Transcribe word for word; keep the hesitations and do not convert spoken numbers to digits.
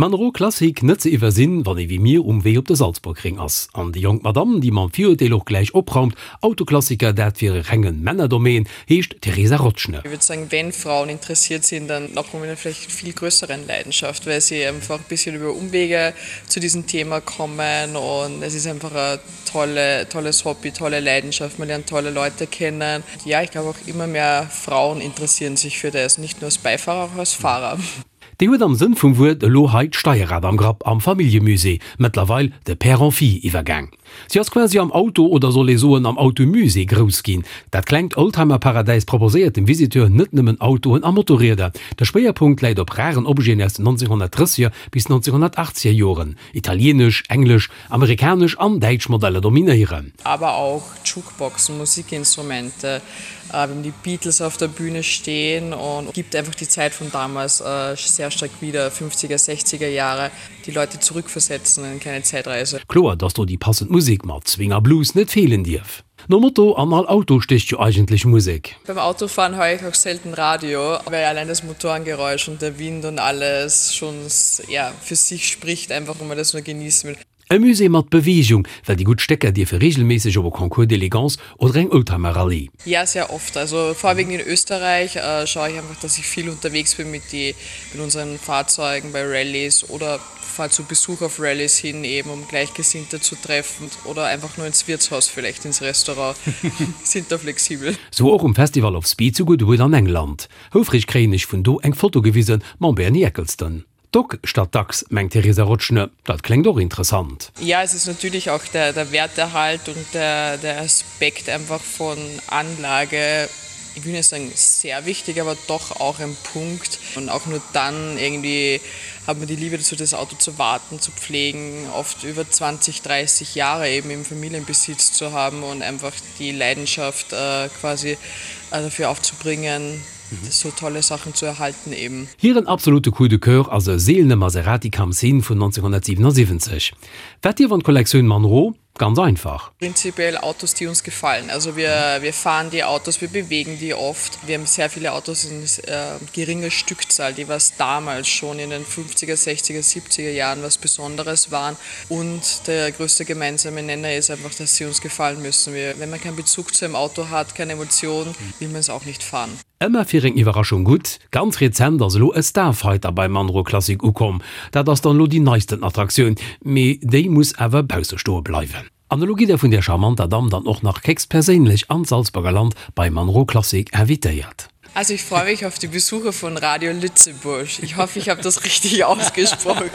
Monroe Classic net ze iwwersinn, wann ee wéi mir um Wee op de Salzburgring ass. An déi jonk Madame, déi mam Virurteel och gläich opraumt, Autoklassiker, dat wier e renge Männerdomaine, heescht Theresa Rotschne. Ich würde sagen, wenn Frauen interessiert sind, dann noch mit einer vielleicht viel größeren Leidenschaft, weil sie einfach ein bisschen über Umwege zu diesem Thema kommen und es ist einfach ein tolle, tolles Hobby, tolle Leidenschaft, man lernt tolle Leute kennen. Ja, ich glaube auch immer mehr Frauen interessieren sich für das, nicht nur als Beifahrer, auch als Fahrer. Déi huet am Sënn vum Wuert elo hei d'Steierrad am Grapp am Familljemusée, mëttlerweil de Père en Fille iwwergaang. Si ass quasi am Auto, oder soll ee soen am Automusée grouss ginn. Dat klengt Oldtimer-Paradäis proposéiert dem Visiteur net nëmmen Autoen a Motorrieder. De Schwéierpunkt läit op raren Objeten aus den nonzénghonnertdrësseger bis nonzénghonnertachtzeger Joren. Italieenesch, englesch, amerikanesch an däitsch Modeller dominéieren. Aber auch Jukeboxen, Musikinstrumente, äh, wenn die Beatles auf der Bühne stehen und gibt einfach die Zeit von damals äh, sehr stark wieder, fünfziger, sechziger Jahre, die Leute zurückversetzen in keine Zeitreise. Kloer, dass do déi passend Musek mat Swing a Blues net feelen dierf. Nom Motto, an all Auto stécht jo eigentlech Musek. Beim Autofahren höre ich auch selten Radio, weil allein das Motorengeräusch und der Wind und alles schon ja, für sich spricht, einfach wenn man das nur genießen will. E Musée mat Beweegung, well déi gutt Stécker dierfe reegelméisseg op e Concours d'élégance oder eng Oldtimer-Rallye. Ja, sehr oft. Also vorwiegend in Österreich äh, schaue ich einfach, dass ich viel unterwegs bin mit, die, mit unseren Fahrzeugen bei Rallyes oder fahre zu Besuch auf Rallyes hin, eben um Gleichgesinnte zu treffen oder einfach nur ins Wirtshaus, vielleicht ins Restaurant. Sind da flexibel. Sou och um Festival of Speed zu Goodwood an England. Houfreg kréien ech vun do eng Foto gewisen mam Bernie Ecclestone. Dock statt Dachs, mengt d'Theresa Rotschne, dat kléngt och interessant. Ja, es ist natürlich auch der, der Werterhalt und der, der Aspekt einfach von Anlage, ich will nicht sagen sehr wichtig, aber doch auch ein Punkt. Und auch nur dann irgendwie hat man die Liebe dazu, das Auto zu warten, zu pflegen, oft über zwanzig, dreißig Jahre eben im Familienbesitz zu haben und einfach die Leidenschaft äh, quasi äh, dafür aufzubringen, mhm. so tolle Sachen zu erhalten eben. Hiren absolute Coup de Coeur ass e seelene Maserati Khamsin vun nonzénghonnertsiwenosiwwenzeg. Wat dierf an d'Kollektioun Monroe? Ganz einfach. Prinzipiell Autos, die uns gefallen. Also wir, wir fahren die Autos, wir bewegen die oft. Wir haben sehr viele Autos in äh, geringer Stückzahl, die was damals schon in den fünfziger, sechziger, siebziger Jahren was Besonderes waren. Und der größte gemeinsame Nenner ist einfach, dass sie uns gefallen müssen. Wir, wenn man keinen Bezug zu einem Auto hat, keine Emotion, will man es auch nicht fahren. Ëmmer fir eng Iwwerraschung gutt, ganz rezent ass elo e Starfighter bei Monroe Classic ukomm. Dat ass dann elo déi neisten Attraktioun, mee déi muss awer bausse stoe bleiwen. An elo gitt der vun där charmanter Damm dann och nach héchstperséinlech an d'Salzburger Land bei Monroe Classic invitéiert. Also ich freue mich auf die Besucher von Radio Lützeburg. Ich hoffe, ich habe das richtig ausgesprochen.